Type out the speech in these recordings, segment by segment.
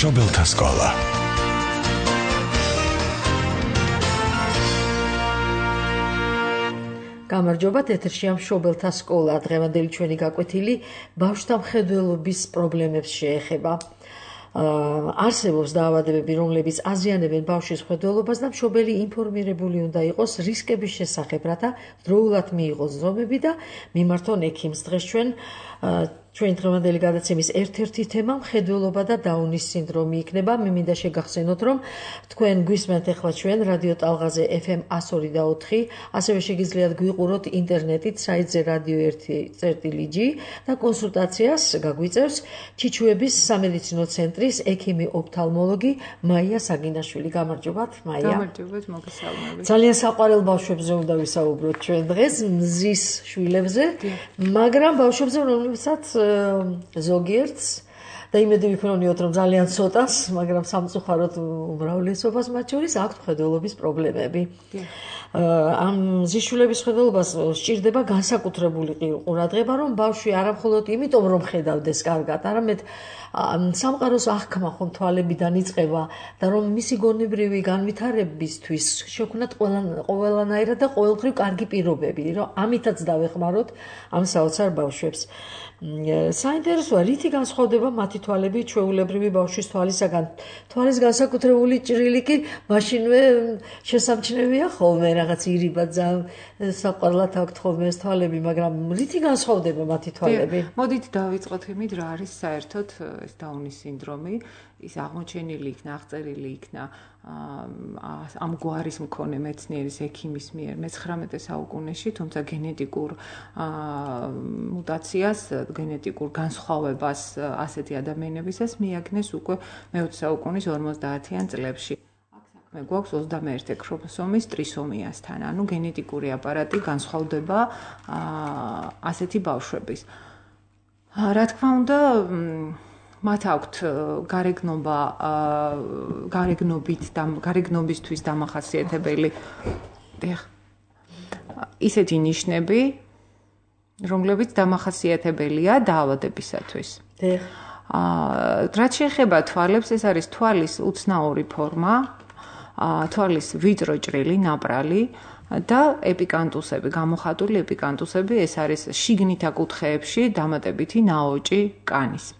მშობელთა სკოლა. გამარჯობა, ეთერშია მშობელთა სკოლა. დღევანდელი ჩვენი გაკვეთილი ბავშვთა მხედველობის პრობლემებს შეეხება. არსებობს დაავადებები, რომლებიც აზიანებენ ბავშვის მხედველობას და მშობელი ინფორმირებული უნდა იყოს რისკების შესახებ, რათა დროულად მიიღოს ზომები და მიმართონ ექიმს. დღეს ჩვენი დღევანდელი გადაცემის ერთ-ერთი თემა მხედველობა და დაუნის სინდრომი იქნება. მე მინდა შეგახსენოთ, რომ თქვენ გვისმენთ ახლა ჩვენ რადიო ტალღაზე FM 102.4, ასევე შეგიძლიათ გვიყუროთ ინტერნეტით საიტზე radio1.g და კონსულტაციას გაგვიწევს ჩიჩუების სამედიცინო ცენტრის ექიმი ოფთალმოლოგი მაია საგინაშვილი. გამარჯობათ, მაია. გამარჯობათ, მოგესალმებით. ძალიან საყვარელ ბავშვებზე უნდა ვისაუბროთ ჩვენ დღეს, მზის შვილებზე, მაგრამ ბავშვებზე, რომლებსაც ზოგიერთს და იმედი ვიქნონიოთ, რომ ძალიან ცოტას, მაგრამ სამწუხაროდ უმრავლესობას მათ შორის აქვთ მხედველობის პრობლემები. ამ ზიშვილების მხედველობას სჭირდება განსაკუთრებული ყურადღება, რომ ბავშვი არა მხოლოდ იმიტომ, რომ ხედავდეს კარგად, არამედ სამყაროს აღქმა ხომ თვალებიდან იწყება და რომ მისი გონებრივი განვითარებისთვის შექმნათ ყველანაირად და ყოველგვარი კარგი პირობები, რომ ამითაც დავეხმაროთ ამ საოცარ ბავშვებს. საინტერესოა, რითი განსხვავდება მათი თვალები ჩვეულებრივი ბავშვის თვალისაგან. თვალის განსაკუთრებული ჭრილი კი მაშინვე შესამჩნევია ხოლმე, რაღაც ირიბად საყვარლად აქვთ ხოლმე ეს თვალები, მაგრამ რითი განსხვავდება მათი თვალები? მოდით დავიწყოთ იმით, რა არის საერთოდ ეს დაუნის სინდრომი. ის აღმოჩენილი იქნა, აღწერილი იქნა ამ გვარის მქონე მეცნიერის ექიმის მიერ მე-19 საუკუნეში, თუმცა გენეტიკურ მუტაციას, გენეტიკურ განსხვავებას ასეთი ადამიანებისას მიაგნეს უკვე მე-20 საუკუნის 50-იან წლებში. აქ საქმე გვაქვს 21 ქრომოსომის ტრისომიასთან, ანუ გენეტიკური აპარატი განსხვავდება ასეთი ბავშვების. რა თქმა უნდა, მათ აქვთ გარეგნობისთვის დამახასიათებელი ისეთი ნიშნები, რომლებიც დამახასიათებელია დაავადებისათვის. რაც შეეხება თვალებს, ეს არის თვალის უცნაური ფორმა, თვალის ვიწრო ჭრილი, ნაპრალი და ეპიკანტუსები, გამოხატული ეპიკანტუსები, ეს არის შიგნით აკუთხეებში დამატებითი ნაოჭი კანის.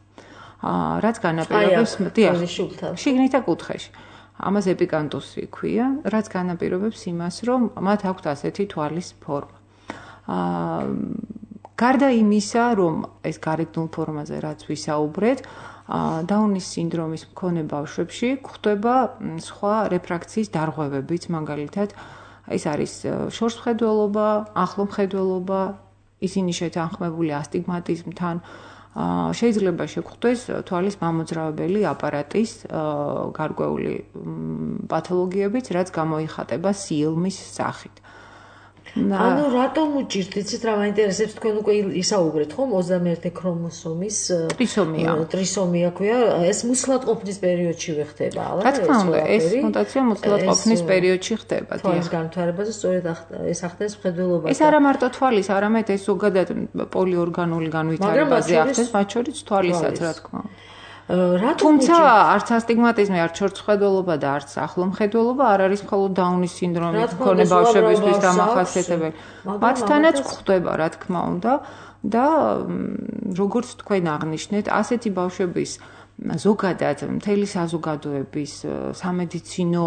რაც განაპირობებს შიგნით აკუთხეში. ამას ეპიკანტუსი ქვია, რაც განაპირობებს იმას, რომ მათ აქვთ ასეთი თვალის ფორმა. გარდა იმისა, რომ ეს გარეგნულ ფორმაზე რაც ვისაუბრეთ, დაუნის სინდრომის მქონე ბავშვებში გვხვდება სხვა რეფრაქციის დარღვევებიც, მაგალითად, ეს არის შორსმხედველობა, ახლომხედველობა, ისინი შეთანხმებული ასტიგმატიზმთან, შეიძლება შეგვხვდეს თვალის მამოძრავებელი აპარატის გარკვეული პათოლოგიებიც, რაც გამოიხატება სიელმის სახით. ანუ რატომ უჭირთ, იცით რა მაინტერესებს, თქვენ უკვე ისაუბრეთ ხომ 21 ქრომოსომის ტრისომია ქვია, ეს მუცლად ყოფნის პერიოდშივე ხდება, არა? რა თქმა უნდა, ეს მუტაცია მუცლად ყოფნის პერიოდში ხდება. თვალის განვითარებაზე სწორედ ეს ახდენს მხედველობას. ეს არა მარტო თვალის, არამედ ეს ზოგადად პოლიორგანული განვითარებაზე ახდენს, მათ შორის თვალისაც, რა თქმა უნდა. თუმცა არც ასტიგმატიზმი, არც შორსმხედველობა და არც ახლომხედველობა არ არის მხოლოდ დაუნის სინდრომის მქონე ბავშვებისთვის დამახასიათებელი. მათთანაც გვხვდება, რა თქმა უნდა, და როგორც თქვენ აღნიშნეთ, ასეთი ბავშვების ზოგადად მთელი საზოგადოების, სამედიცინო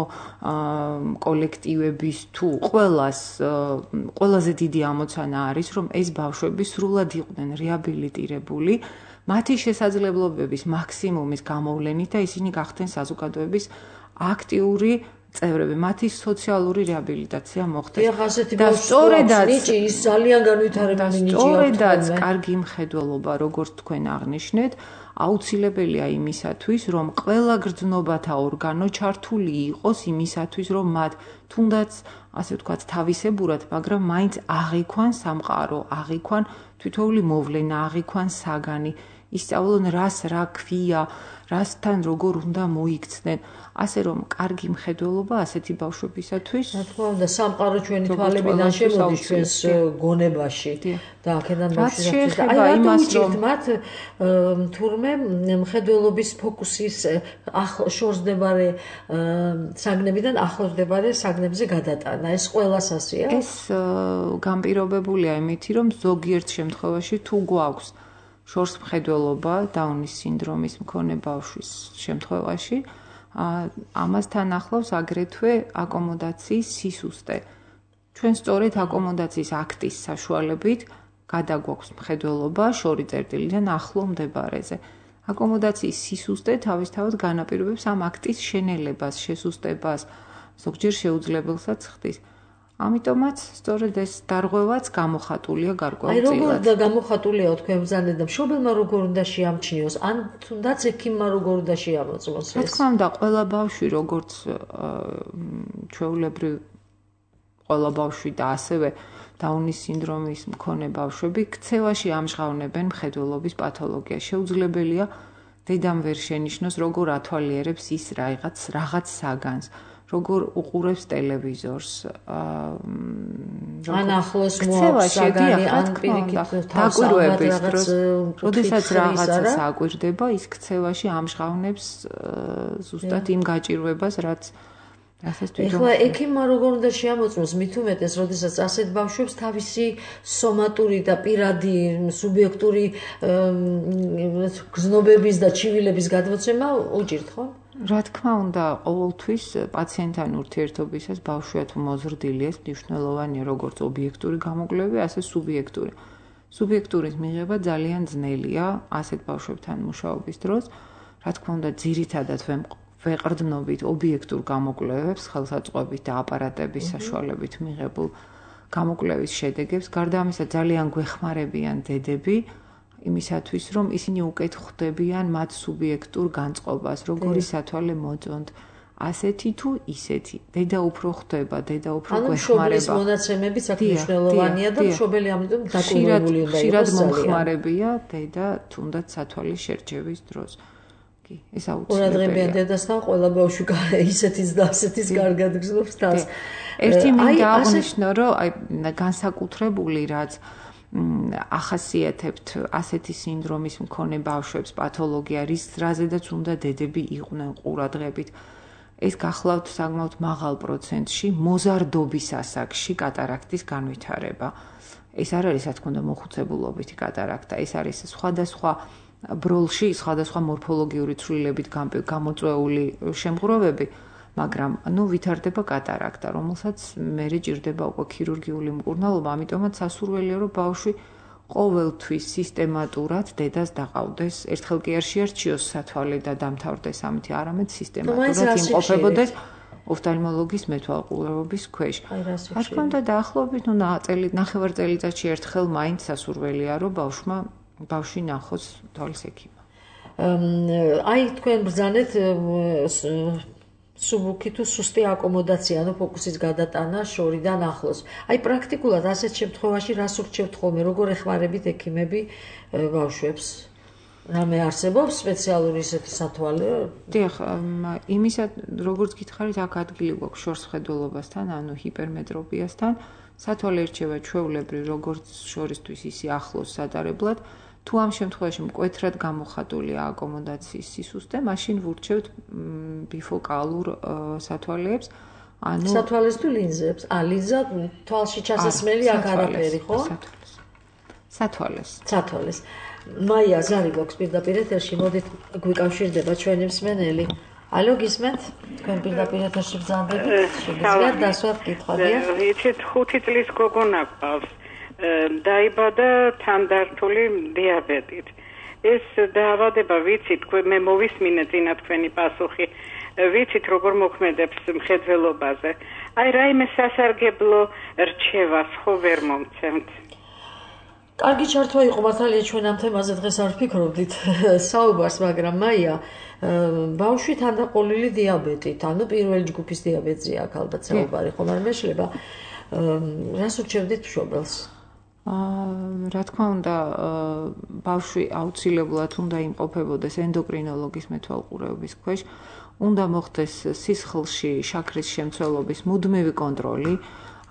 კოლექტივების თუ ყველაზე დიდი ამოცანა არის, რომ ეს ბავშვები სრულად იყვნენ რეაბილიტირებული, მათი შესაძლებლობების მაქსიმუმის გამოვლენით და ისინი გახდნენ საზოგადოების აქტიური წევრები, მათი სოციალური რეაბილიტაცია მოხდეს. და სწორედაც ის ძალიან განვითარებული ნიჭი აქვს. სწორედაც კარგი მხედველობა, როგორც თქვენ აღნიშნეთ, აუცილებელია იმისათვის, რომ ყველა გრძნობათა ორგანო ჩართული იყოს იმისათვის, რომ მათ თუნდაც, ასე ვთქვათ, თავისებურად, მაგრამ მაინც აღიქვან სამყარო, აღიქვან თითოეული მოვლენა, აღიქვან საგანი, ისწავლონ რას რა ქვია, რასთან როგორ უნდა მოიქცნენ. ასე რომ კარგი მხედველობა ასეთი ბავშვებისათვის რა თქმა უნდა სამყარო ჩვენი თვალებიდან შემოდის ჩვენს გონებაში და აქედან ბავშვებისთვის აი იმას რომ მათ თურმე მხედველობის ფოკუსის შორსდებარე საგნებიდან ახლოსდებარე საგნებზე გადატანა ეს ყველას ასეა ეს განპირობებულია იმით რომ ზოგიერთ შემთხვევაში თუ გვაქვს შორს მხედველობა დაუნის სინდრომის მქონე ბავშვის შემთხვევაში ამასთან ახლავს აგრეთვე აკომოდაციის სისუსტე. ჩვენ სწორედ აკომოდაციის აქტის საშუალებით გადაგვაქვს მხედველობა შორი წერტილიდან ახლო მდებარეზე. აკომოდაციის სისუსტე თავისთავად განაპირობებს ამ აქტის შენელებას, შესუსტებას, ზოგჯერ შეუძლებელსაც ხდის. ამიტომაც სწორედ ეს დარღვევაც გამოხატულია გარკვეულ წილად. აი როგორ გამოხატულია თქვენ ბრძანეთ და მშობელმა როგორ უნდა შეამჩნიოს, ან თუნდაც ექიმმა როგორ უნდა შეამოწმოს ეს. რა თქმა უნდა, ყველა ბავშვი როგორც ჩვეულებრივ ყველა ბავშვი და ასევე დაუნის სინდრომის მქონე ბავშვები ქცევაში ამჟღავნებენ მხედველობის პათოლოგიას. შეუძლებელია დედამ ვერ შენიშნოს როგორ ათვალიერებს ის რაღაც საგანს. როგორ უყურებს ტელევიზორს ან ახლოს მოაქვს საგანი ან პირიქით დაკვირვების დროს როდესაც რაღაცას აკვირდება ის ქცევაში ამჟღავნებს ზუსტად იმ გაჭირვებას რაც ასე თვითონ ეხლა ექიმმა როგორ უნდა შეამოწმოს მით უმეტეს როდესაც ასეთ ბავშვებს თავისი სომატური და პირადი სუბიექტური გზნობების და ჩივილების გადმოცემა უჭირთ ხო? რა თქმა უნდა, ყოველთვის პაციენტთან ურთიერთობისას ბავშვია თუ მოზრდილი ეს მნიშვნელოვანია როგორც ობიექტური გამოკვლევები, ასე სუბიექტური. სუბიექტურის მიღება ძალიან ძნელია ასეთ ბავშვებთან მუშაობის დროს. რა თქმა უნდა, ძირითადად ვეყრდნობით ობიექტურ გამოკვლევებს, ხელსაწყოებით და აპარატების საშუალებით მიღებულ გამოკვლევის შედეგებს. გარდა ამისა, ძალიან გვეხმარებიან დედები იმისათვის, რომ ისინი უკეთ ხვდებიან მათ სუბიექტურ განწყობას, როგორი სათვალე მოწონთ, ასეთი თუ ისეთი. დედა უფრო ხვდება, დედა უფრო გვეხმარება. ანუ მშობლის მონაცემებიც აქ მნიშვნელოვანია და მშობელი ამიტომ დაკვირვებული უნდა იყოს. ხშირად მომხმარებია დედა თუნდაც სათვალის შერჩევის დროს. კი, ეს აუცილებელია. ყურადღებიან დედასთან ყველა ბავშვი ისეთის და ასეთის კარგად გზნობს თავს. ერთი მინდა აღნიშნო, რომ აი განსაკუთრებული რაც ახასიათებთ ასეთი სინდრომის მქონე ბავშვებს პათოლოგია, რაზედაც უნდა დედები იყვნენ ყურადღებით. ეს გახლავთ საკმაოდ მაღალ პროცენტში მოზარდობის ასაკში კატარაქტის განვითარება. ეს არ არის, რა თქმა უნდა, მოხუცებულობითი კატარაქტა, ეს არის სხვადასხვა ბროლში, სხვადასხვა მორფოლოგიური ცვლილებით გამოწვეული შემღვრევები. მაგრამ ვითარდება კატარაქტა, რომელსაც მერე ჭირდება უკვე ქირურგიული მკურნალობა, ამიტომაც სასურველია, რომ ბავშვი ყოველთვის სისტემატურად დედას დაყავდეს. ერთხელ კი არ შეარჩიოს სათვალე და დამთავრდეს ამით, არამედ სისტემატურად იმყოფებოდეს ოფთალმოლოგის მეთვალყურეობის ქვეშ. რა თქმა უნდა, დაახლოებით ნახევარ წელიწადში ერთხელ მაინც სასურველია, რომ ბავშვი ნახოს თვალის ექიმმა. აი თქვენ ბრძანეთ სუბუქი თუ სუსტი აკომოდაცია, ანუ ფოკუსის გადატანა შორიდან ახლოს. აი პრაქტიკულად ასეთ შემთხვევაში რას ურჩევთ ხოლმე, როგორ ეხმარებით ექიმები ბავშვებს? რამე არსებობს სპეციალური ისეთი სათვალე? დიახ, იმისა როგორც გითხარით, აქ ადგილი გვაქვს შორს მხედველობასთან, ანუ ჰიპერმეტროპიასთან. სათვალე ერჩევა ჩვეულებრივ როგორც შორისთვის, ისე ახლოს სადარებლად. თუ ამ შემთხვევაში მკვეთრად გამოხატულია აკომოდაციის სისუსტე, მაშინ ვურჩევთ ბიფოკალურ სათვალეებს. ანუ სათვალეს თუ ლინზებს? ლინზა თვალში ჩასასმელი აქ არაფერი, ხო? სათვალეს. მაია ზარი გვაქვს პირდაპირ ეთერში, მოდით გვიკავშირდება ჩვენი მსმენელი. ალო, გისმენთ? თქვენ პირდაპირ ეთერში ბრძანდებით? შეგიძლიათ დასვათ კითხვა? ვიცით 5 წლის გოგონა გვყავს. დაიბადა თანდართული დიაბეტით. ეს დაავადება ვიცით, მე მოვისმინე წინა თქვენი პასუხი. ვიცით როგორ მოქმედებს მხედველობაზე. აი რაიმე სასარგებლო რჩევას ხო ვერ მომცემთ. კარგი ჩართვა იყო მართალია ჩვენ ამ თემაზე დღეს არ ვფიქრობდით საუბარს, მაგრამ მაია ბავშვი თანდაყოლილი დიაბეტით, ანუ პირველი ჯგუფის დიაბეტზეა აქ ალბათ საუბარი, ხომ არ მეშლება? რას ურჩევდით მშობელს? რა თქმა უნდა, ბავშვი აუცილებლად უნდა იმყოფებოდეს ენდოკრინოლოგის მეთვალყურეობის ქვეშ, უნდა მოხდეს სისხლში შაქრის შემცველობის მუდმივი კონტროლი,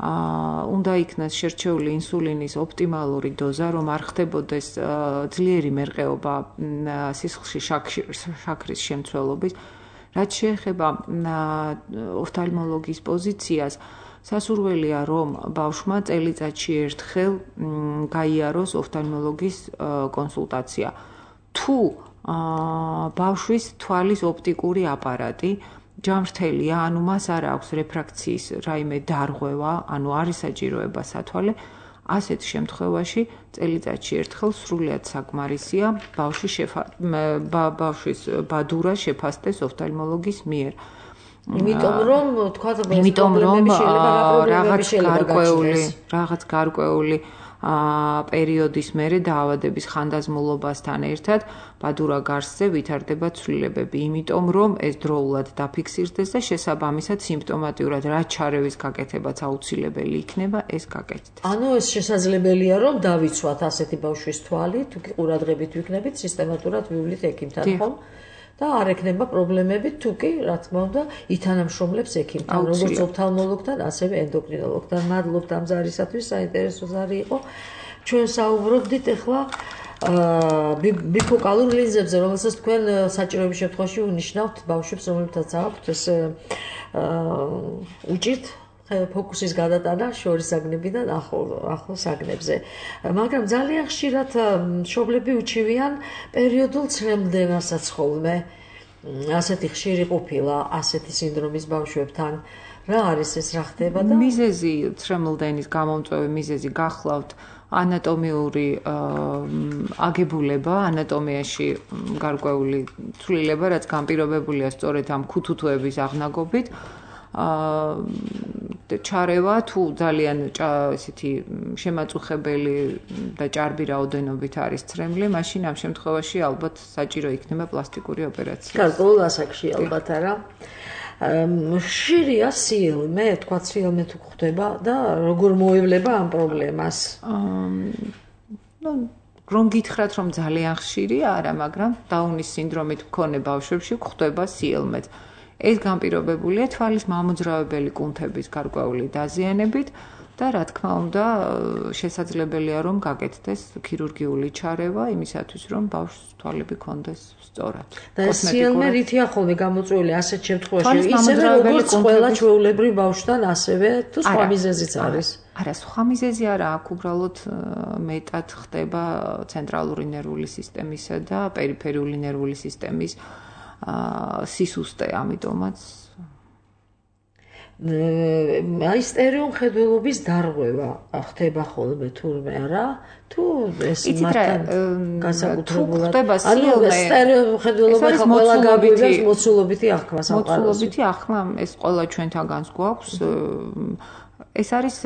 უნდა იქნას შერჩეული ინსულინის ოპტიმალური დოზა, რომ არ ხდებოდეს ძლიერი მერყეობა სისხლში შაქრის შემცველობის. რაც შეეხება ოფთალმოლოგის პოზიციას, სასურველია, რომ ბავშვმა წელიწადში ერთხელ გაიაროს ოფთალმოლოგის კონსულტაცია. თუ ბავშვის თვალის ოპტიკური აპარატი ჯამრთელია, ანუ მას არ აქვს რეფრაქციის რაიმე დარღვევა, ანუ არის საჭიროება სათვალე, ასეთ შემთხვევაში წელიწადში ერთხელ სრულიად საკმარისია ბავშვის ბადურა შეფასდეს ოფთალმოლოგის მიერ. იმიტომ რომ რაღაც გარკვეული პერიოდის მერე დაავადების ხანდაზმულობასთან ერთად ბადურა გარსზე ვითარდება ცვლილებები, იმიტომ რომ ეს დროულად დაფიქსირდეს და შესაბამისად სიმპტომატიურად რაც ჩარევის გაკეთებაც აუცილებელი იქნება, ეს გაკეთდეს. ანუ ეს შესაძლებელია რომ დავიცვათ ასეთი ბავშვის თვალი, თუ კი ყურადღებით ვიქნებით, სისტემატურად ვივლით ექიმთან, ხომ? და არ ექნება პრობლემები, თუ კი, რა თქმა უნდა, ითანამშრომლებს ექიმთან, როგორც ოფთალმოლოგთან, ასევე ენდოკრინოლოგთან. მადლობთ ამ ზარისათვის, საინტერესო ზარი იყო. ჩვენ საუბრობდით ახლა ბიფოკალურ ლინზებზე, რომელსაც თქვენ საჭიროების შემთხვევაში უნიშნავთ ბავშვებს, რომლებთაც აქვთ ეს უჭირთ ფოკუსის გადატანა შორის საგნებიდან ახლო საგნებზე. მაგრამ ძალიან ხშირად მშობლები უჩივიან პერიოდულ ცრემლდენასაც ხოლმე. ასეთი ხშირი ყოფილა ასეთი სინდრომის ბავშვებთან. რა არის ეს, რა ხდება და მიზეზი ცრემლდენის გამომწვევი მიზეზი გახლავთ ანატომიური აგებულება, ანატომიაში გარკვეული ცვლილება, რაც განპირობებულია სწორედ ამ ქუთუთოების აღნაგობით. ჩარევა თუ ძალიან ესეთი შემაწუხებელი და ჭარბი რაოდენობით არის ცრემლი, მაშინ ამ შემთხვევაში ალბათ საჭირო იქნება პლასტიკური ოპერაცია. გარკვეულ ასაკში ალბათ არა. ხშირია სიელმე, თქვა სიელმე თუ ხდება და როგორ მოევლება ამ პრობლემას? რომ გითხრათ, რომ ძალიან ხშირია, არა, მაგრამ დაუნის სინდრომით მქონე ბავშვებში ხდება სიელმეც. ეს განპირობებულია თვალის მამოძრავებელი კუნთების გარკვეული დაზიანებით და რა თქმა უნდა შესაძლებელია რომ გაკეთდეს ქირურგიული ჩარევა იმისათვის რომ ბავშვს თვალები ქონდეს სწორად. და სიელმე რითია ხოლმე გამოწვეული ასეთ შემთხვევაში, ისევე როგორც ყველა ჩვეულებრივ ბავშვთან, ასევე თუ სხვა მიზეზიც არის? არა, სხვა მიზეზი არა, აქ უბრალოდ მეტად ხდება ცენტრალური ნერვული სისტემისა და პერიფერიული ნერვული სისტემის სისუსტე, ამიტომაც აი სტერეომხედველობის დარღვევა ხდება ხოლმე თურმე არა? თუ ეს მართლა განსაკუთრებულად ანუ სტერეომხედველობა ყველა გაგვიძებს მოცულობითი აღქმა სამყაროში. მოცულობითი აღქმა ეს ყველა ჩვენთანაც გვაქვს. ეს არის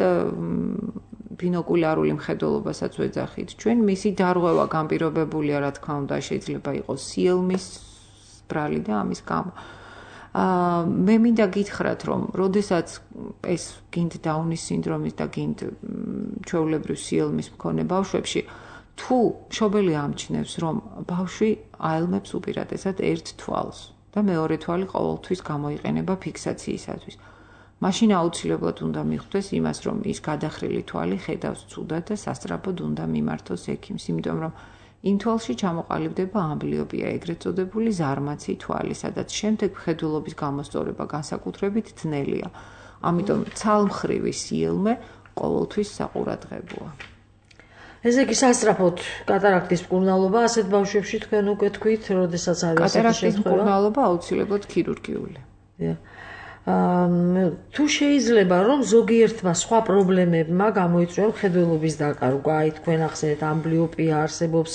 ბინოკულარული მხედველობასაც ვეძახით. ჩვენ მისი დარღვევა განპირობებულია, რა თქმა უნდა, შეიძლება იყოს სიელმის ბრალი და ამის გამო. მე მინდა გითხრათ, რომ როდესაც ეს გინდ დაუნის სინდრომის და გინდ ჩვეულებრივ სიელმის მქონე ბავშვებში, თუ მშობელი ამჩნევს, რომ ბავშვი აელმებს უპირატესად ერთ თვალს და მეორე თვალი ყოველთვის გამოიყენება ფიქსაციისათვის, მაშინ აუცილებლად უნდა მიხვდეს იმას, რომ ის გადახრილი თვალი ხედავს ცუდად და სასწრაფოდ უნდა მიმართოს ექიმს, იმიტომ რომ იმ თვალში ჩამოყალიბდება ამბლიოპია, ეგრეთ წოდებული ზარმაცი თვალი, სადაც შემდეგ მხედველობის გამოსწორება განსაკუთრებით ძნელია. ამიტომ ცალმხრივი სიელმე ყოველთვის საყურადღებოა. ესე იგი სასწრაფოდ კატარაქტის მკურნალობა ასეთ ბავშვებში თქვენ უკვე თქვით, როდესაც არის ასეთი შემთხვევა? კატარაქტის მკურნალობა აუცილებლად ქირურგიული. თუ შეიძლება რომ ზოგიერთმა სხვა პრობლემებმა გამოიწვია მხედველობის დაკარგვა, აი თქვენ ახსენეთ ამბლიოპია არსებობს,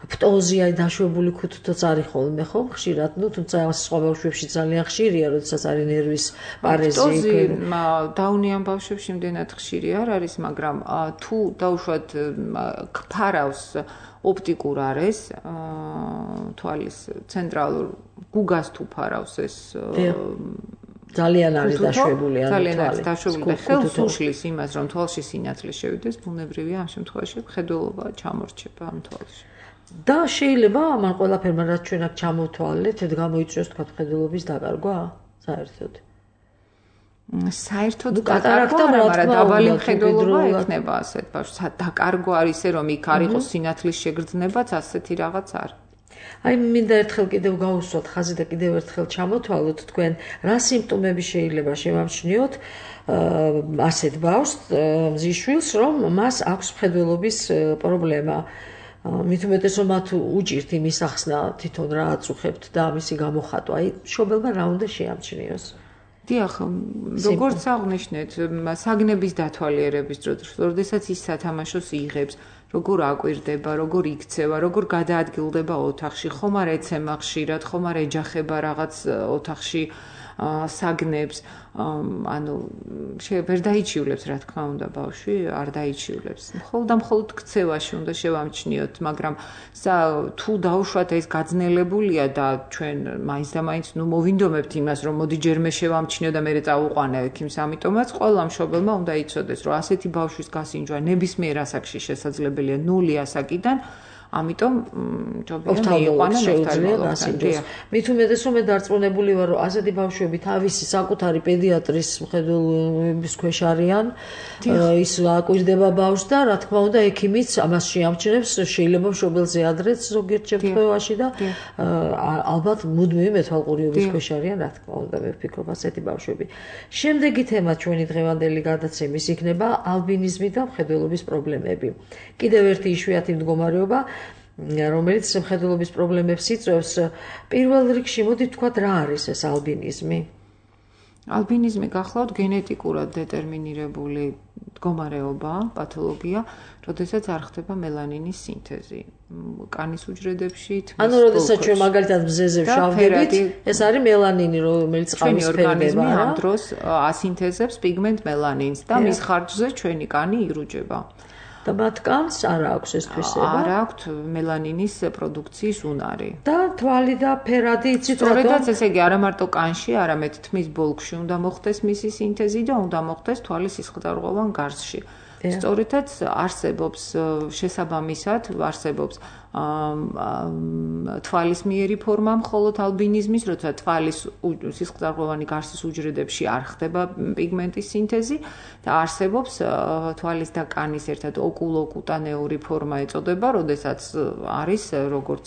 ფტოზია, დაშვებული ქუთუთოც არის ხოლმე ხო? ხშირად, თუმცა სხვა ბავშვებში ძალიან ხშირია, როდესაც არის ნერვის პარეზი. ფტოზი დაუნიან ბავშვებში იმდენად ხშირი არ არის, მაგრამ თუ დაუშვათ ფარავს ოპტიკურ არეს, თვალის ცენტრალურ გუგას თუ ფარავს ეს ძალიან არის დაშვებული ძალიან არის დაშვებული და ხელს უშლის იმას რომ თვალში სინათლე შევიდეს ბუნებრივია ამ შემთხვევაში მხედველობა ჩამორჩება ამ თვალში და შეიძლება ამან ყველაფერმა რაც ჩვენ აქ ჩამოვთვალეთ გამოიწვიოს თქვა მხედველობის დაკარგვა საერთოდ დაკარგვა მაგრამ დაბალი მხედველობა ექნება ასეთ ბავშვს დაკარგვა არის რომ იქ არ იყოს სინათლის შეგრძნებაც ასეთი რაღაც არ აი მინდა ერთხელ კიდევ გავუსვათ ხაზი და კიდევ ერთხელ ჩამოთვალოთ თქვენ რა სიმპტომები შეიძლება შემამჩნიოთ ასეთ ბავშვს მზიშვილს რომ მას აქვს მხედველობის პრობლემა მით უმეტეს რომ მათ უჭირთ იმის ახსნა თვითონ რა აწუხებთ და მისი გამოხატვა აი მშობელმა რა უნდა შეამჩნიოს დიახ როგორც აღნიშნეთ საგნების დათვალიერების დროს როდესაც ის სათამაშოს იღებს როგორ აკვირდება, როგორ იქცევა, როგორ გადაადგილდება ოთახში, ხომ არ ეცემა ხშირად, ხომ არ ეჯახება რაღაც ოთახში საგნებს, ანუ ვერ დაიჩივლებს, რა თქმა უნდა, ბავშვი არ დაიჩივლებს. მხოლოდ ქცევაში უნდა შევამჩნიოთ, მაგრამ თუ დაუშვათ ეს გაძნელებულია და ჩვენ მაინც და მაინც მოვინდომებთ იმას, რომ მოდი ჯერმე შევამჩნიო და მერე წავუყვანე ექიმს, ამიტომაც ყველა მშობელმა უნდა იცოდეს, რომ ასეთი ბავშვის გასინჯვა ნებისმიერ ასაკში შესაძლებელია 0 ასაკიდან ამიტომ ოფთალმოლოგს შეუძლია გასინჯოს. მით უმეტეს რომ მე დარწმუნებული ვარ რომ ასეთი ბავშვები თავისი საკუთარი პედიატრის მხედველობის ქვეშ არიან ის აკვირდება ბავშვს და რა თქმა უნდა ექიმიც ამას შეამჩნევს შეიძლება მშობელზე ადრეც ზოგიერთ შემთხვევაში და ალბათ მუდმივი მეთვალყურეობის ქვეშ არიან რა თქმა უნდა მე ვფიქრობ ასეთი ბავშვები. შემდეგი თემა ჩვენი დღევანდელი გადაცემის იქნება ალბინიზმი და მხედველობის პრობლემები. კიდევ ერთი იშვიათი მდგომარეობა რომელიც მხედველობის პრობლემებს იწვევს პირველ რიგში მოდით თქვათ რა არის ეს ალბინიზმი ალბინიზმი გახლავთ გენეტიკურად დეტერმინირებული მდგომარეობა პათოლოგია როდესაც არ ხდება მელანინის სინთეზი კანის უჯრედებში ანუ როდესაც ჩვენ მაგალითად მზეზე ვშავდებით ეს არის მელანინი რომელიც ყავის ორგანიზმი ამ დროს ასინთეზებს პიგმენტ მელანინს და მის ხარჯზე ჩვენი კანი ირუჯება და მათ კანს არ აქვს ეს თვისება. არ აქვს მელანინის პროდუქციის უნარი. და თვალი და ფერადი იცით რატომ? სწორედაც ესე იგი არა მარტო კანში, არამედ თმის ბოლქში უნდა მოხდეს მისი სინთეზი და უნდა მოხდეს თვალის სისხლდარღვევან გარსში. სწორედაც არსებობს შესაბამისად არსებობს თვალის მიერი ფორმა მხოლოდ ალბინიზმის, როცა თვალის სისხლდარღვევანი გარსის უჯრედებში არ ხდება პიგმენტის სინთეზი და არსებობს თვალის და კანის ერთად ოკულოკუტანეური ფორმა ეწოდება, როდესაც არის როგორც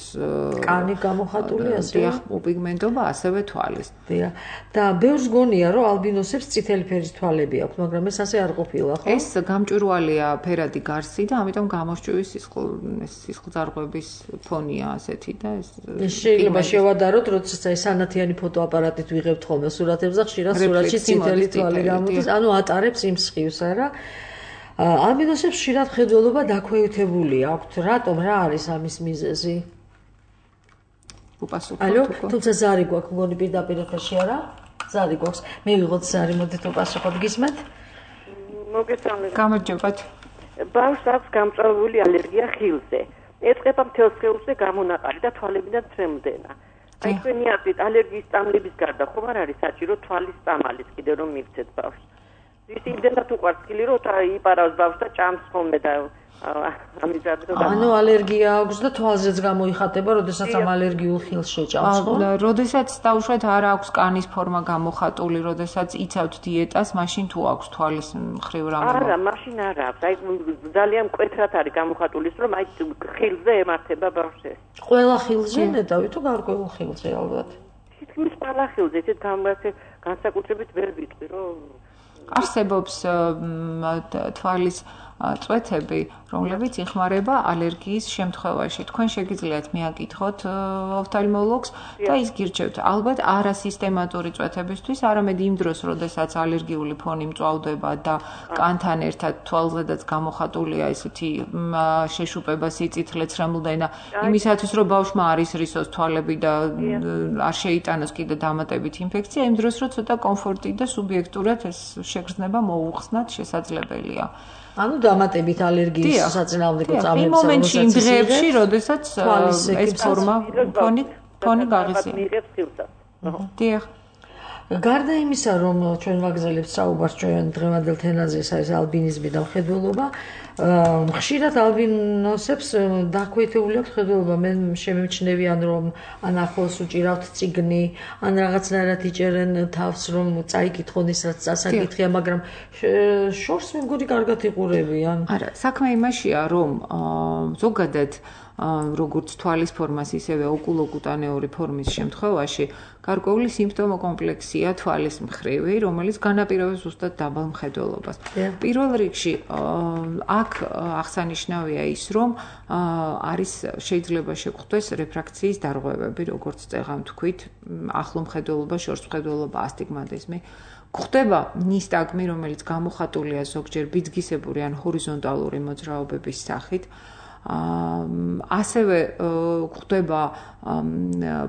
კანი გამოხატული ასევე უპიგმენტობა, ასევე თვალის. და ბევრს გონია, რომ ალბინოსებს წითელი ფერის თვალები აქვს, მაგრამ ეს ასე არ ყოფილა, ხო? ეს გამჭვირვალეა ფერადი გარსი და ამიტომ გამოსჭვის სისხლდარღვევა ფონია ასეთი და ეს შეიძლება შევადაროთ, როდესაც აი სანათიანი ფოტოაპარატით ვიღებთ ხოლმე სურათებს და ხშირად სურათში წითელი თვალი გამოდის, ანუ ატარებს იმ სხივს, არა? ალბინოსებს ხშირად მხედველობა დაქვეითებული აქვთ. რატომ? რა არის ამის მიზეზი? ალო, თუმცა ზარი გვაქვს, მგონი პირდაპირ ეთერში არა? ზარი გვაქვს. მივიღოთ ზარი, მოდით უპასუხოთ, გისმენთ? მოგესალმებით. გამარჯობათ. ბავშვს აქვს გამწვავებული ალერგია ხილზე. ეწყება მთელ სხეულზე გამონაყარი და თვალებიდან თრემლდენა. აი თქვენი აზრით ალერგიის წამლების გარდა ხომ არ არის საჭირო თვალის წამალის კიდე რომ მივცეთ ბავშვს. ის იმდენად უყვარს ხილი რომ იპარავს ბავშვს და ჭამს ხოლმე და ანუ ალერგია აქვს და თვალზეც გამოიხატება, როდესაც ამ ალერგიულ ხილს შეჭამს, ხო? როდესაც დაუშვათ არ აქვს კანის ფორმა გამოხატული, როდესაც იცავთ დიეტას, მაშინ თუ აქვს თვალის მხრივ რამე? არა, მაშინ არ აქვს. აი ძალიან მკვეთრად არის გამოხატული, რომ აი ხილზე ემართება ბავშვს. ყველა ხილზე ნეტავი თუ გარკვეულ ხილზე ალბათ? თითქმის ყველა ხილზე, ისეთ განსაკუთრებით ვერ ვიტყვი, რომ არსებობს თვალის წვეთები, რომლებიც იხმარება ალერგიის შემთხვევაში. თქვენ შეგიძლიათ მიაკითხოთ ოფთალმოლოგს და ის გირჩევთ. ალბათ არა სისტემატური წვეთებისთვის, არამედ იმ დროს, როდესაც ალერგიული ფონი მწვავდება და კანთან ერთად თვალზედაც გამოხატულია ესეთი შეშუპება, სიწითლე, ცრემლდენა, იმისათვის, რომ ბავშვმა არ ისრისოს თვალები და არ შეიტანოს კიდე დამატებით ინფექცია, იმ დროს, რომ ცოტა კომფორტი და სუბიექტურად ეს შეგრძნება მოუხსნათ შესაძლებელია. ანუ დამატებით ალერგიის საწინააღმდეგო წამლებს იმ მომენტში იმ დღეებში, როდესაც ეს ფორმა ფონი გაღიზიანებს. დიახ. გარდა იმისა, რომ ჩვენ ვაგრძელებთ საუბარს ჩვენ დღევანდელ თემაზე, ეს არის ალბინიზმი და მხედველობა, ხშირად ალბინოსებს დაქვეითებული აქვს მხედველობა. მე შემიმჩნევიან, რომ ან ახლოს უჭირავთ წიგნი, ან რაღაცნაირად იჭერენ თავს, რომ წაიკითხონ ის რაც წასაკითხია, მაგრამ შორს მე მგონი კარგად იყურებიან. არა, საქმე იმაშია, რომ ზოგადად როგორც თვალის ფორმას, ისევე ოკულოკუტანეური ფორმის შემთხვევაში გარკვეული სიმპტომო კომპლექსია თვალის მხრივი, რომელიც განაპირობებს ზუსტად დაბალ მხედველობას. პირველ რიგში აქ აღსანიშნავია ის, რომ არის შეიძლება შეგხვდეს რეფრაქციის დარღვევები, როგორც წეღან თქვით, ახლო მხედველობა, შორს მხედველობა, ასტიგმატიზმი. გვხდება ნისტაგმი, რომელიც გამოხატულია ზოგჯერ ბიძგისებური ან ჰორიზონტალური მოძრაობების სახით. ასევე გვხდება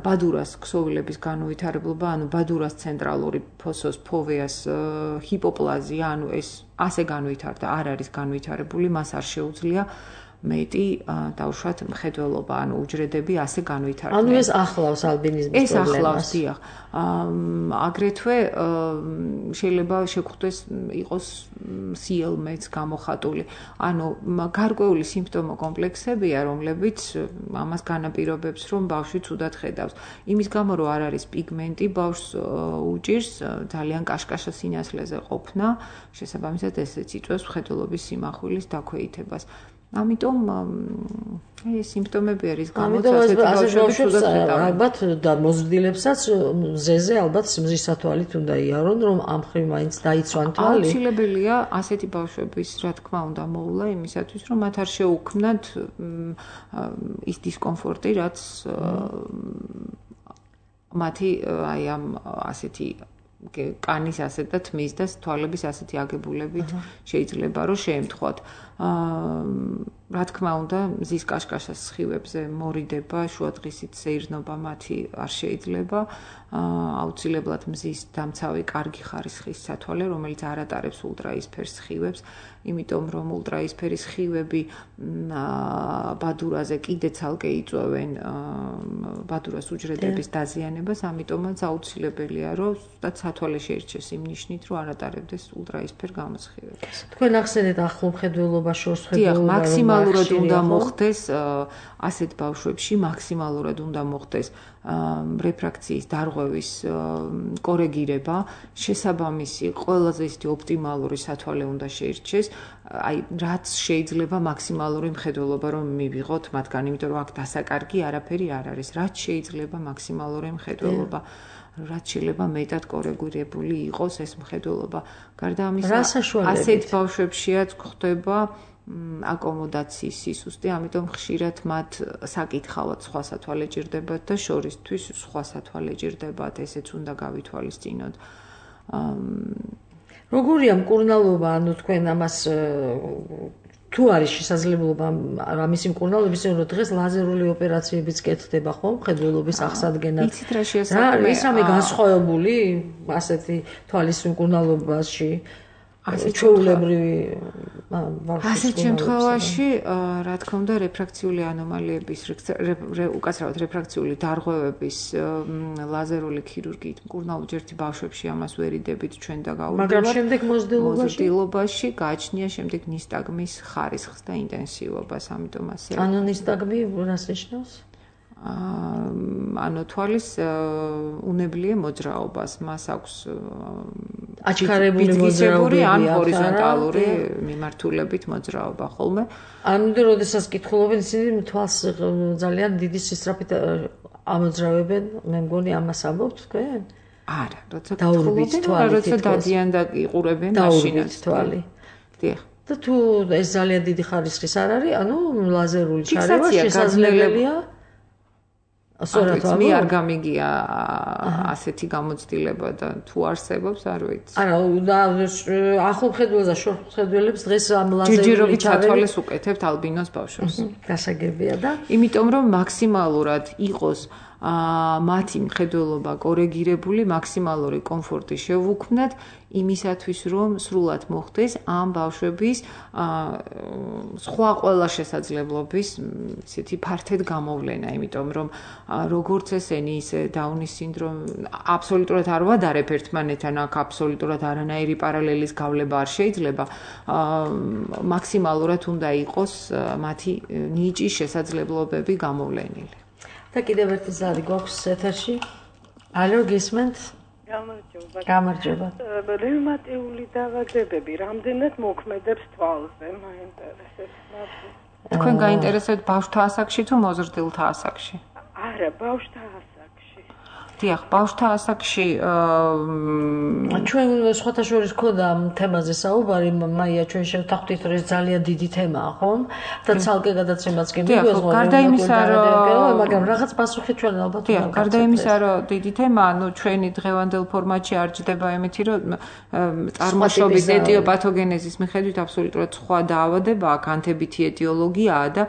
ბადურას ქსოვილების განუვითარებლობა, ანუ ბადურას ცენტრალური ფოსოს ფოვეას ჰიპოპლაზია, ანუ ეს ასე განუვითარდა, არ არის განუვითარებული, მას არ შეუძლია მეტი დავუშვათ მხედველობა, ანუ უჯრედები ასე განვითარდნენ. ანუ ეს ახლავს ალბინიზმის პრობლემას. ეს ახლავს, დიახ. აგრეთვე შეიძლება შეგვხვდეს იყოს CL-მეც გამოხატული. ანუ გარკვეული სიმპტომო კომპლექსებია, რომლებიც ამას განაპირობებს, რომ ბავშვი ცუდად ხედავს. იმის გამო, რომ არ არის პიგმენტი, ბავშვს უჭირს ძალიან კაშკაშა სინათლეზე ყოფნა, შესაბამისად ესეც იწვევს მხედველობის სიმახვილის დაქვეითებას. ამიტომ ეს სიმპტომები არის გამოცდილებული ბავშვებს ალბათ და მოზრდილებსაც მზეზე ალბათ მზის სათვალით უნდა იარონ, რომ ამ ხრივ მაინც დაიცვან თვალი. აუცილებელია ასეთი ბავშვების, რა თქმა უნდა, მოვლა იმისათვის, რომ მათ არ შეუქმნათ ის დისკომფორტი, რაც მათი აი ამ ასეთი კანის ასეთ და თმის და თვალების ასეთი აგებულებით შეიძლება რომ შეემთხვათ. რა თქმა უნდა, მზის კაშკაშას სხივებზე მორიდება, შუადღისით სეირნობა მათი არ შეიძლება. აუცილებლად მზის დამცავი კარგი ხარისხის სათვალე, რომელიც არ ატარებს ულტრაისფერ სხივებს, იმიტომ რომ ულტრაისფერი სხივები ბადურაზე კიდე ცალკე იწვევენ ბადურას უჯრედების დაზიანებას, ამიტომაც აუცილებელია, რომ ზუსტად სათვალე შეირჩეს იმ ნიშნით, რომ არ ატარებდეს ულტრაისფერ გამოსხივებას. თქვენ ახსენეთ ახლო მხედველობა, შორს მხედველობა, მაქსიმალურად უნდა მოხდეს ასეთ ბავშვებში, მაქსიმალურად უნდა მოხდეს რეფრაქციის დარღვევის კორეგირება, შესაბამისი ყველაზე ისეთი ოპტიმალური სათვალე უნდა შეირჩეს, აი რაც შეიძლება მაქსიმალური მხედველობა რომ მივიღოთ მათგან, იმიტომ რომ აქ დასაკარგი არაფერი არ არის, რაც შეიძლება მაქსიმალური მხედველობა, რაც შეიძლება მეტად კორეგირებული იყოს ეს მხედველობა. გარდა ამისა, ასეთ ბავშვებშიაც გვხდება აკომოდაციის სისუსტე, ამიტომ ხშირად მათ საკითხავად სხვა სათვალე ჭირდებათ და შორისთვის სხვა სათვალე ჭირდებათ, ესეც უნდა გავითვალისწინოთ. როგორია მკურნალობა, ანუ თქვენ ამას თუ არის შესაძლებლობა ამისი მკურნალობის, რომ დღეს ლაზერული ოპერაციებიც კეთდება ხო, მხედველობის აღსადგენად. იცით რა შეასაქმე? ის რამე განსხვავებული ასეთი თვალის მკურნალობაში? ჩვეულებრივი ასეთ შემთხვევაში, რა თქმა უნდა, რეფრაქციული ანომალიების, უკაცრავად რეფრაქციული დარღვევების ლაზერული ქირურგიით მკურნალობჯერთი ბავშვებში ამას ვერ იდებით ჩვენ და გაუძლებთ. მაგრამ შემდეგ მოზრდილობაში გააჩნია შემდეგ ნისტაგმის ხარისხს და ინტენსივობას, ამიტომ ასე. ანუ ნისტაგმი რას ნიშნავს? ანუ თვალის უნებლიე მოძრაობას, მას აქვს აჩქარებული მოძრაობები ან ჰორიზონტალური მიმართულებით მოძრაობა ხოლმე. ანუ როდესაც კითხულობენ ისინი თვალს ძალიან დიდი სისწრაფით ამოძრავებენ, მე მგონი ამას ამბობთ თქვენ? არა, როცა კითხულობენ, როცა დადიან და იყურებენ მაშინაც თვალი. დიახ. და თუ ეს ძალიან დიდი ხარისხის არ არის, ანუ ლაზერული ჩარევა შესაძლებელია. სწორად მე არ გამიგია ასეთი გამოცდილება და თუ არსებობს არ ვიცი. არა, ახლო მხედველს და შორს მხედველებს დღეს ამ ლაზერული ჯერჯერობით სათვალეს უკეთებთ ალბინოს ბავშვებს. გასაგებია და იმიტომ რომ მაქსიმალურად იყოს მათი მხედველობა კორეგირებული, მაქსიმალური კომფორტი შევუქმნათ იმისათვის, რომ სრულად მოხდეს ამ ბავშვების სხვა ყველა შესაძლებლობის ისეთი ფართედ გამოვლენა, იმიტომ რომ როგორც ესენი, ისე დაუნის სინდრომი აბსოლუტურად არ ვადარებ ერთმანეთთან, აქ აბსოლუტურად არანაირი პარალელის გავლება არ შეიძლება. მაქსიმალურად უნდა იყოს მათი ნიჭის შესაძლებლობები გამოვლენილი. და კიდევ ერთი ზარი გვაქვს ეთერში. ალო, გისმენთ? გამარჯობა. რევმატიული დაავადებები რამდენად მოქმედებს თვალზე? მაინტერესებს. თქვენ გაინტერესებთ ბავშვთა ასაკში თუ მოზრდილთა ასაკში? არა, ბავშვთა ასაკში. დიახ, ბავშვთა ასაკში ჩვენ სხვათა შორის ქონდა ამ თემაზე საუბარი, მაია ჩვენ შევთანხმდით, რომ ეს ძალიან დიდი თემაა, ხომ? და ცალკე გადაცემაც კი მიგვეღო, გარდა იმისა, რომ მაგრამ რაღაც პასუხი ჩვენ ალბათ დიახ, გარდა იმისა, რომ დიდი თემაა, ჩვენი დღევანდელ ფორმატში არ ჯდება იმითი, რომ წარმოშობის ეტიოპათოგენეზის მიხედვით აბსოლუტურად სხვა დაავადება, კანთებითი ეტიოლოგიაა და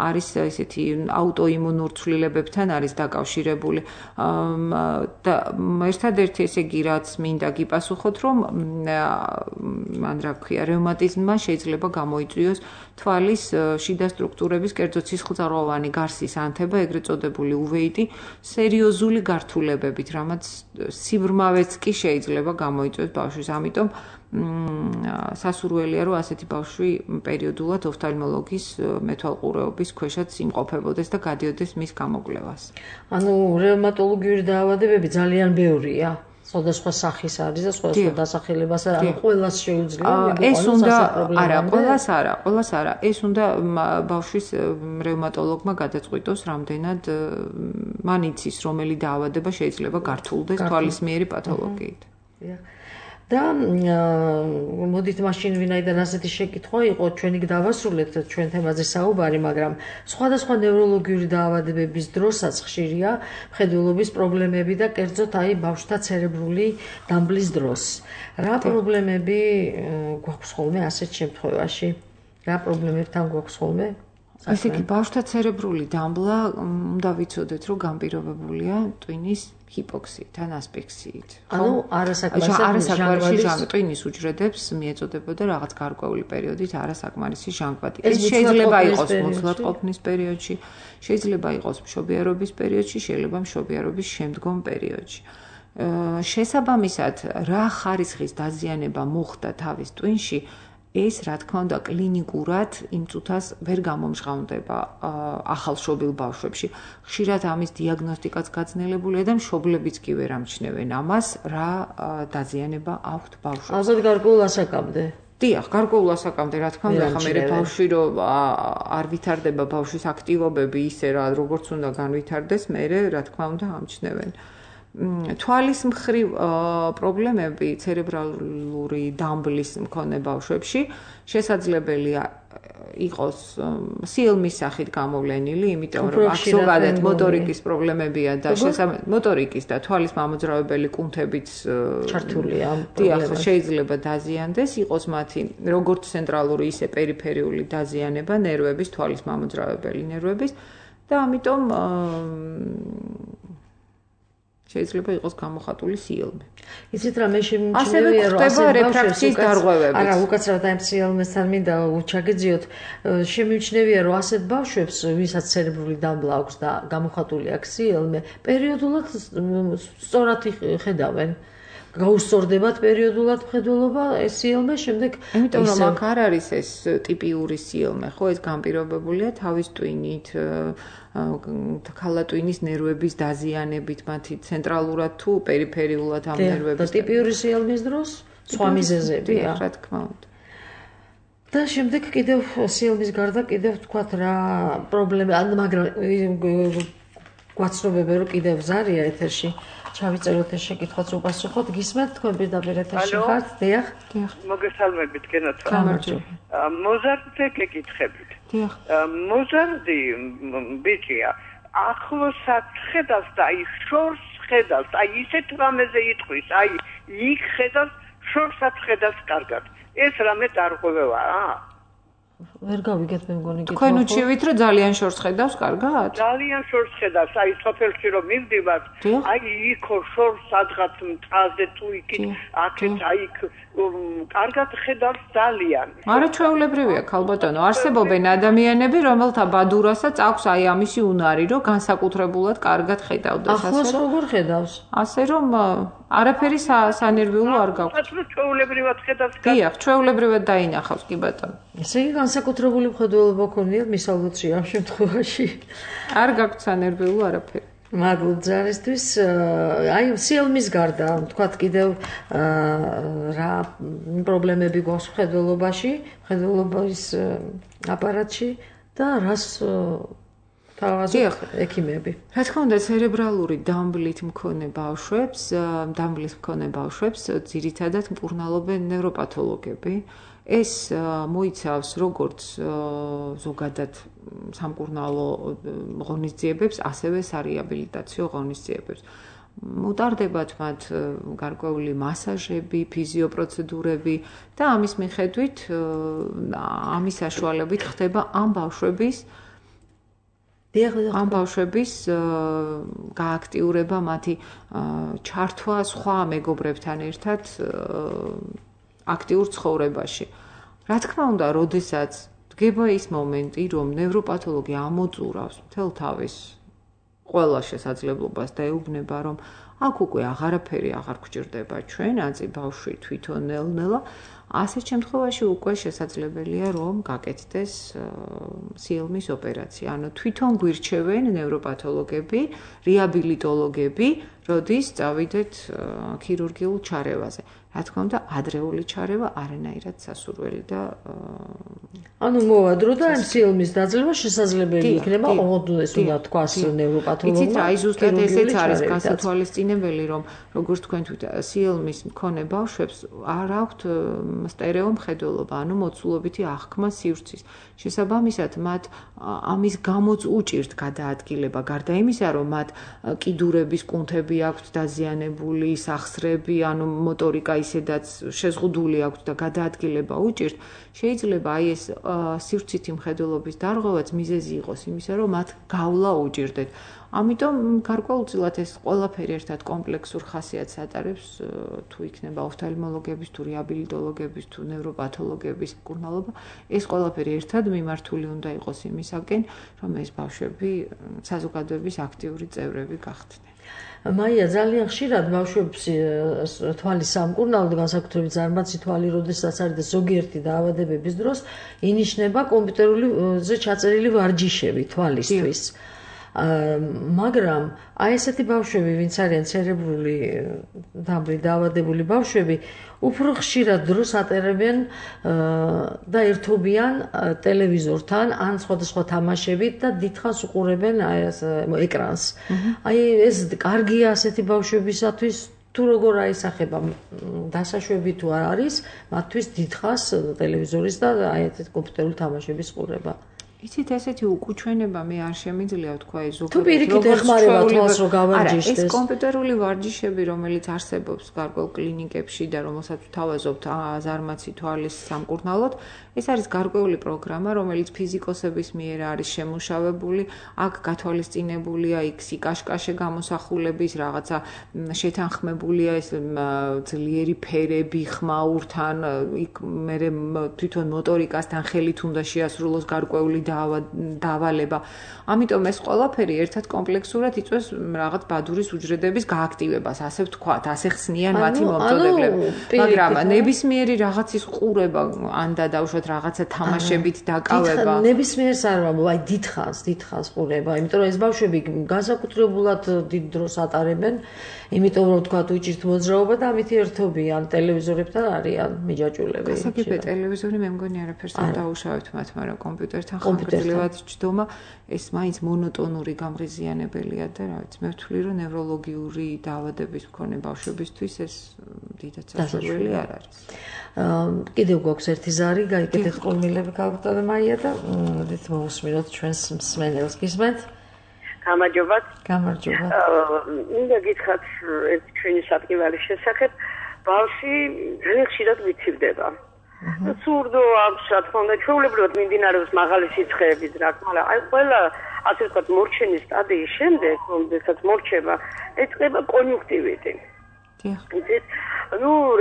არის ესეთი აუტოიმუნურ ცვლილებებთან არის დაკავშირებული. და ერთადერთი ესე იგი რაც მინდა გიპასუხოთ, რომ მან რა ქვია, რევმატიზმმა შეიძლება გამოიწვიოს თვალის შიდა სტრუქტურების, კერძოდ სისხლძარღვოვანი გარსის ანთება, ეგრეთ წოდებული უვეიტი, სერიოზული გართულებებით, რამაც სიბრმავეც კი შეიძლება გამოიწვიოს ბავშვის. ამიტომ სასურველია, რომ ასეთი ბავშვი პერიოდულად ოფთალმოლოგის მეთვალყურეობის ქვეშაც იმყოფებოდეს და გადიოდეს მის გამოკვლევას. ანუ რევმატოლოგიური დაავადებები ძალიან ბევრია. სხვადასხვა სახის არის და სხვადასხვა დასახელებას ანუ ყველას შეუძლია ეს უნდა არა, ყველას არა. ეს უნდა ბავშვის რევმატოლოგმა გადაწყვიტოს, რამდენად მან იცის, რომელი დაავადება შეიძლება გართულდეს თვალისმიერი პათოლოგიით. და მოდით მაშინ ვინაიდან ასეთი შეკითხვა იყო, ჩვენი დავასრულეთ ჩვენ თემაზე საუბარი, მაგრამ სხვადასხვა ნევროლოგიური დაავადებების დროსაც ხშირია მხედველობის პრობლემები და კერძოდ ბავშვთა ცერებრული დამბლის დროს. რა პრობლემები გვაქვს ხოლმე ასეთ შემთხვევაში? რა პრობლემებთან გვაქვს ხოლმე? ასე იგი, ბავშვთა ცერებრული დამბლა უნდა ვიცოდეთ, რომ განპირობებულია ტვინის ჰიპოქსიიდან, ასპექსიით. ანუ არასაკმარისი ტვინის უჯრედებს მიეწოდებოდა რაღაც გარკვეული პერიოდით არასაკმარისი ჟანგბადი. ეს შეიძლება იყოს მოცლადყოფნის პერიოდში, შეიძლება იყოს მშობიარობის პერიოდში, შეიძლება მშობიარობის შემდგომ პერიოდში. შესაბამისად, რა ხარისხის დაზიანება მოხდა თავის ტვინში, ეს რა თქმა უნდა კლინიკურად იმ წუთას ვერ გამომჟღავნდება ახალშობილ ბავშვებში. ხშირად ამის დიაგნოსტიკაც გაძნელებულია და მშობლებიც კი ვერ ამჩნევენ ამას, რა დაზიანება აქვთ ბავშვებს. ალბათ გარკვეულ ასაკამდე. დიახ, გარკვეულ ასაკამდე, რა თქმა უნდა, ხა მე ბავშვი რომ არ ვითარდება ბავშვის აქტივობები ისე რა როგორც უნდა განვითარდეს, მე რა თქმა უნდა ამჩნევენ. თვალის მხრივ პრობლემები ცერებრალური დამბლის მქონე ბავშვებში შესაძლებელია იყოს სიელმის სახით გამოვლენილი, იმიტომ რომ აქ ზოგადად მოტორიკის პრობლემებია და მოტორიკის და თვალის მამოძრავებელი კუნთებიც ჩართულია. დიახ, შეიძლება დაზიანდეს, იყოს მათი როგორც ცენტრალური, ისე პერიფერიული დაზიანება ნერვების, თვალის მამოძრავებელი ნერვების და ამიტომ შეიძლება იყოს გამოხატული სიელმე. იცით რა, მე შემიძლია რომ ასე რეფრაქციის დარღვევებით. არა, უკაცრავად ამ სიელმესთან მინდა ჩაგეძიოთ. შემიძლია რომ ასეთ ბავშვებს, ვისაც ცერებრული დამბლა აქვს და გამოხატული აქვს სიელმე, პერიოდულად სწორად ხედავენ. გაუსწორდებათ პერიოდულად მხედველობა ეს სიელმე, შემდეგ იმიტომ რომ აქ არ არის ეს ტიპიური სიელმე, ხო, ეს განპირობებულია თავის ტვინით, ქალატვინის ნერვების დაზიანებით, მათი ცენტრალურად თუ პერიფერიულად ამ ნერვების. და ტიპიური სიელმის დროს სხვა მიზეზებია, რა თქმა უნდა. და შემდეგ კიდევ სიელმის გარდა კიდევ თქვათ რა პრობლემა, მაგრამ გვაცნობები რომ კიდევ ზარია ეთერში. ჩავიწეროთ ეს შეკითხვაც უპასუხოთ. გისმენთ თქვენ პირდაპირ ეთერში ხართ? დიახ. მოგესალმებით, გენათ. გამარჯობა. მოზარდზე გეკითხებით. დიახ. მოზარდი ბიჭია, ახლოსაც ხედავს და აი შორს ხედავს, აი ისეთ რამეზე იტყვის, აი იქ ხედავს, შორსაც ხედავს კარგად. ეს რამე დარღვევაა? ვერ გავიგეთ მე მგონი კითხვა. თქვენ უჩივით რომ ძალიან შორს ხედავს, კარგად? ძალიან შორს ხედავს, აი სოფელში რომ მივდივარ, აი იქო შორს სადღაც მწაზე თუ იქით, აქეთ აი კარგად ხედავს ძალიან. არა ჩვეულებრივია ქალბატონო, არსებობენ ადამიანები, რომელთა ბადურასაც აქვს აი ამისი უნარი, რომ განსაკუთრებულად კარგად ხედავდეს ასე. ახლოს როგორ ხედავს? ასე რომ არაფერი სანერვიულო არ გაქვს. ჩვეულებრივად ხედავს. დიახ, ჩვეულებრივად დაინახავს კი ბატონო. ესე იგი განსაკუთრებული მხედველობა ქონიათ მისალოთში ამ შემთხვევაში. არ გაქვს სანერვიულო არაფერი. მადლობ ძალისთვის. აი სიელმის გარდა თქვათ კიდევ რა პრობლემები გვაქვს მხედველობის აპარატში და რას თავაზობთ ექიმები. რა თქმა უნდა, ცერებრალური დამბლით მქონე ბავშვებს ძირითადად მკურნალობენ ნევროპათოლოგები. ეს მოიცავს როგორც ზოგადად სამკურნალო ღონისძიებებს, ასევე სარეაბილიტაციო ღონისძიებებს. მუტარდებათ მათ გარკვეული მასაჟები, ფიზიოპროცედურები და ამის მიხედვით, ამის საშუალებით ხდება ამ ბავშვების გააქტიურება, მათი ჩართვა სხვა მეგობრებთან ერთად აქტიურ ცხოვრებაში. რა თქმა უნდა, როდესაც დგება ის მომენტი, რომ ნევროპათოლოგი ამოწურავს მთელ თავის ყველა შესაძლებლობას და ეუბნება, რომ აქ უკვე აღარაფერი აღარ გვჭირდება ჩვენაცი ბავშვი თვითონ ნელ-ნელა, ასეთ შემთხვევაში უკვე შესაძლებელია, რომ გაკეთდეს სიელმის ოპერაცია. ანუ თვითონ გვირჩევენ ნევროპათოლოგები, რეაბილიტოლოგები, როდის წავიდეთ ქირურგიულ ჩარევაზე. რა თქმა უნდა, ადრეული ჩარევა არანაირად სასურველი და ანუ მოვადრო და ამ სიელმის დაძლევა შესაძლებელი იქნება, ოღონდ ეს უნდა თქვას ნევროპათოლოგმა. იცით, აი ზუსტად ესეც არის გასათვალისწინებელი, რომ როგორც თქვენ სიელმის მქონე ბავშვებს არ აქვთ სტერეო მხედველობა, ანუ მოცულობითი აღქმა სივრცის. შესაბამისად, მათ ამის გამოც უჭირთ გადაადგილება, გარდა იმისა, რომ მათ კიდურების კუნთები აქვთ დაზიანებული, სახსრები, ანუ მოტორიკა ისედაც შეზღუდული აქვთ და გადაადგილება უჭირთ, შეიძლება აი ეს სივრცითი მხედველობის დარღვევაც მიზეზი იყოს იმისა, რომ მათ გავლა უჭირდეთ. ამიტომ გარკვეულწილად ეს ყველაფერი ერთად კომპლექსურ ხასიათს ატარებს, თუ იქნება ოფთალმოლოგების, თუ რეაბილიტოლოგების, თუ ნევროპათოლოგების მკურნალობა, ეს ყველაფერი ერთად მიმართული უნდა იყოს იმისაკენ, რომ ეს ბავშვები საზოგადოების აქტიური წევრები გახდნენ. მაია, ძალიან ხშირად ბავშვებს თვალის სამკურნალოდ, განსაკუთრებით ზარმაცი თვალი, როდესაც არის და ზოგიერთი დაავადებების დროს ინიშნება კომპიუტერული ჩაწერილი ვარჯიშები თვალისთვის. მაგრამ აი ესეთი ბავშვები, ვინც არიან ცერებრული დამბლით დაავადებული ბავშვები, უფრო ხშირად დროს ატარებენ და ერთობიან ტელევიზორთან ან სხვადასხვა თამაშებით და დიდხანს უყურებენ ეკრანს. აი ეს კარგია ასეთი ბავშვებისათვის, თუ როგორ აისახება დასაშვები თუ არ არის, მათთვის დიდხანს ტელევიზორის და აი ეს კომპიუტერული თამაშების ყურება. იცით, ესეთი უკუჩვენება მე არ შემიძლია ვთქვა ეს ზოგადად. თუ პირიქით ეხმარება თვალს რო გავარჯიშდეს. ეს კომპიუტერული ვარჯიშები, რომელიც არსებობს გარკვეულ კლინიკებში და რომელსაც ვთავაზობთ ზარმაცი თვალის სამკურნალოდ, ეს არის გარკვეული პროგრამა, რომელიც ფიზიკოსების მიერ არის შემუშავებული, აქ გათვალისწინებულია იქ სიკაშკაშე გამოსახულების რაღაცა შეთანხმებულია ეს ძლიერი ფერები ხმაურთან, იქ მე თვითონ მოტორიკასთან ხელით უნდა შეასრულოს გარკვეული დავალება. ამიტომ ეს ყველაფერი ერთად კომპლექსურად იწვევს რაღაც ბადურის უჯრედების გააქტივებას, ასე ვთქვათ, ასე ხსნიან მათი მომწოდებლები. მაგრამ ნებისმიერი რაღაცის ყურება ან დავუშვათ რაღაცა თამაშებით დაკავება. ნებისმიერს არ ვამბობ, აი დიდხანს ყურება, იმიტომ რომ ეს ბავშვები განსაკუთრებულად დიდ დროს ატარებენ, იმიტომ რომ ვთქვათ უჭირთ მოძრაობა და ამით ერთობიან ტელევიზორებთან არიან მიჯაჭულები. გასაგებია ტელევიზორი მე მგონი არაფერს არ დაუშავებთ მათ, მაგრამ კომპიუტერთან ხანგრძლივად ჯდომა ეს მაინც მონოტონური გამღიზიანებელია და რა ვიცი, მე ვთვლი რომ ნევროლოგიური დაავადების მქონე ბავშვებისთვის ეს დიდად სასურველი არ არის. კიდევ გვაქვს ერთი ზარი, გაიგეთ ყურმილები გავხდეთ მაია და დით მოусმინოთ ჩვენს მსმენელს. გისმენთ? გამარჯობათ. გამარჯობა. მინდა გითხრათ ერთ ჩვენი სატკივარის შესახებ, ბავშვი ძალიან ხშირად ვიცივდება. სურდო აქვს, რა თქმა უნდა, ჩვეულებრივად მიმდინარეობს მაღალი სიცხეების რა, მაგრამ აი ყველა ასე ვთქვათ მორჩენის სტადიის შემდეგ, როდესაც მორჩება, ეწყება კონიუნქტივიტი.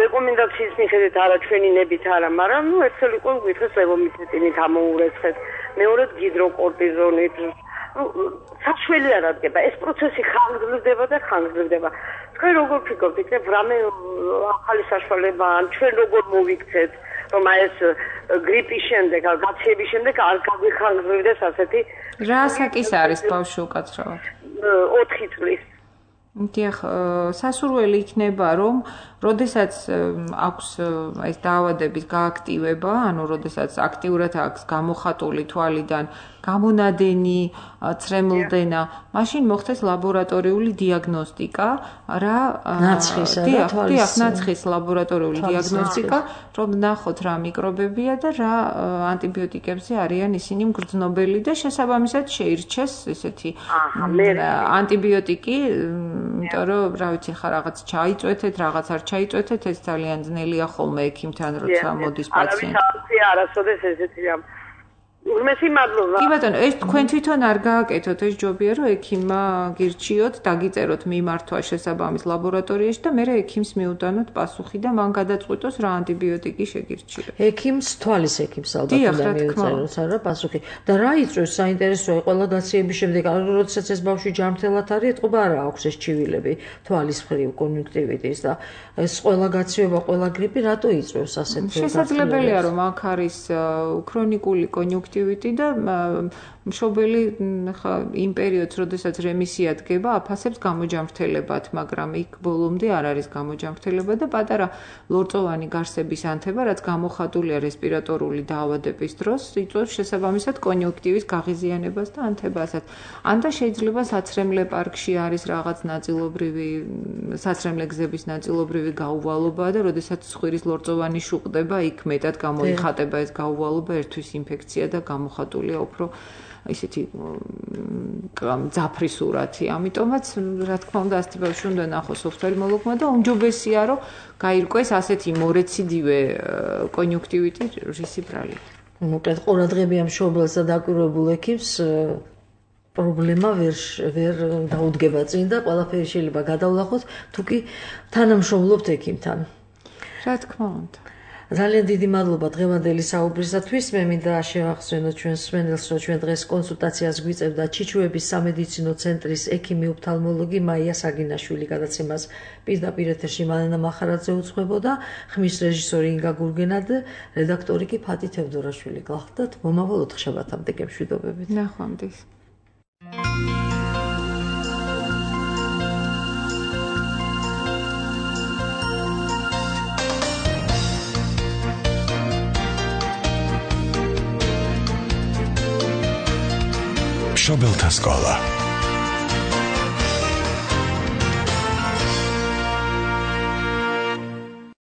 რეკომენდაციის მიხედვით არა ჩვენი ნებით არა, მაგრამ ერთსელ იყო გითხეს ლევომიცეტინით ამოურეცხეთ, მეორედ გიდროკორტიზონით. საშველი არ ადგება, ეს პროცესი ხანგრძლივდება და ხანგრძლივდება. თქვენ როგორ ფიქრობთ, იქნებ რამე ახალი საშუალება, ან ჩვენ როგორ მოვიქცეთ, რომ ეს გრიპის შემდეგ, გაციების შემდეგ არ გაგვიხანგრძლივდეს ასეთი რა საკის არის ბავშვი უკაცრავად? 4 წლის. დიახ, სასურველი იქნება, რომ როდესაც აქვს ეს დაავადების გააქტივება, ანუ როდესაც აქტიურად აქვს გამოხატული თვალიდან გამონადენი, ცრემლდენა, მაშინ მოხდეს ლაბორატორიული დიაგნოსტიკა, რა დიახ, ნაცხის ლაბორატორიული დიაგნოსტიკა, რომ ნახოთ რა მიკრობებია და რა ანტიბიოტიკებზე არიან ისინი მგრძნობელი და შესაბამისად შეირჩეს ესეთი ანტიბიოტიკი, იმიტომ რომ რა ვიცი ხა რაღაც ჩაიწვეთეთ, რაღაც არ ჩაიწვეთეთ, ეს ძალიან ძნელია ხოლმე ექიმთან როცა მოდის პაციენტი. არასოდეს ესეთი უმეტი მადლობა. კი ბატონო, ეს თქვენ თვითონ არ გააკეთოთ, ეს ჯობია რომ ექიმმა გირჩიოთ, დაგიწეროთ მიმართვა შესაბამის ლაბორატორიაში და მერე ექიმს მიუტანოთ პასუხი და მან გადაწყვიტოს რა ანტიბიოტიკი შეგირჩიოთ. ექიმს თვალის ექიმს ალბათ უნდა მიუწეროს არა პასუხი. და რა იწვევს საინტერესოა ყველა გაციების შემდეგ, როდესაც ეს ბავშვი ჯანმრთელად არის, ეთყობა არა აქვს ეს ჩივილები თვალის მხრივ კონიუნქტივიტის და ეს ყველა გაციება, ყველა გრიპი რატო იწვევს ასეთ შესაძლებელია რომ აქ არის ქრონიკული კონიუნქტივიტი და მშობელი ხა იმ პერიოდს, როდესაც რემისია დგება, აფასებს გამოჯამრთელებად, მაგრამ იქ ბოლომდე არ არის გამოჯამრთელება და პატარა ლორწოვანი გარსების ანთება, რაც გამოხატულია რესპირატორული დაავადების დროს, იწვევს შესაბამისად კონიუნქტივის გაღიზიანებას და ანთებასაც. ან და შეიძლება საცრემლე პარკში არის რაღაც ნაწილობრივი საცრემლე გზების ნაწილობრივი გაუვალობა და როდესაც ცხვირის ლორწოვანი შუყდება, იქ მეტად გამოიხატება ეს გაუვალობა, ერთვის ინფექცია და გამოხატულია უფრო ისეთი ძაფრი სურათი. ამიტომაც, რა თქმა უნდა, ასეთი ბავშვი უნდა ნახოს ოფთალმოლოგმა და უმჯობესია, რომ გაირკვეს ასეთი მორეციდივე კონიუნქტივიტი რისი ბრალით. მოკლედ, ყურადღებია მშობელს და დაკვირვებულ ექიმს პრობლემა ვერ დაუდგება წინ და ყველაფერი შეიძლება გადავლახოთ, თუ კი თანამშრომლობთ ექიმთან. რა თქმა უნდა. ძალიან დიდი მადლობა დღევანდელი საუბრისათვის. მე მინდა შევახსენოთ ჩვენს მსმენელს, რომ ჩვენ დღეს კონსულტაციას გვიწევდა ჩიჩუების სამედიცინო ცენტრის ექიმი ოფთალმოლოგი მაია საგინაშვილი. გადაცემას პირდაპირ ეთერში მალენა მახარაძე უძღვებოდა, ხმის რეჟისორი ინგა გურგენა და რედაქტორი კი ფატი თევდორაშვილი გახდათ. მომავალ 4 შაბათამდე გემშვიდობებით. ნახვამდის. მშობელთა სკოლა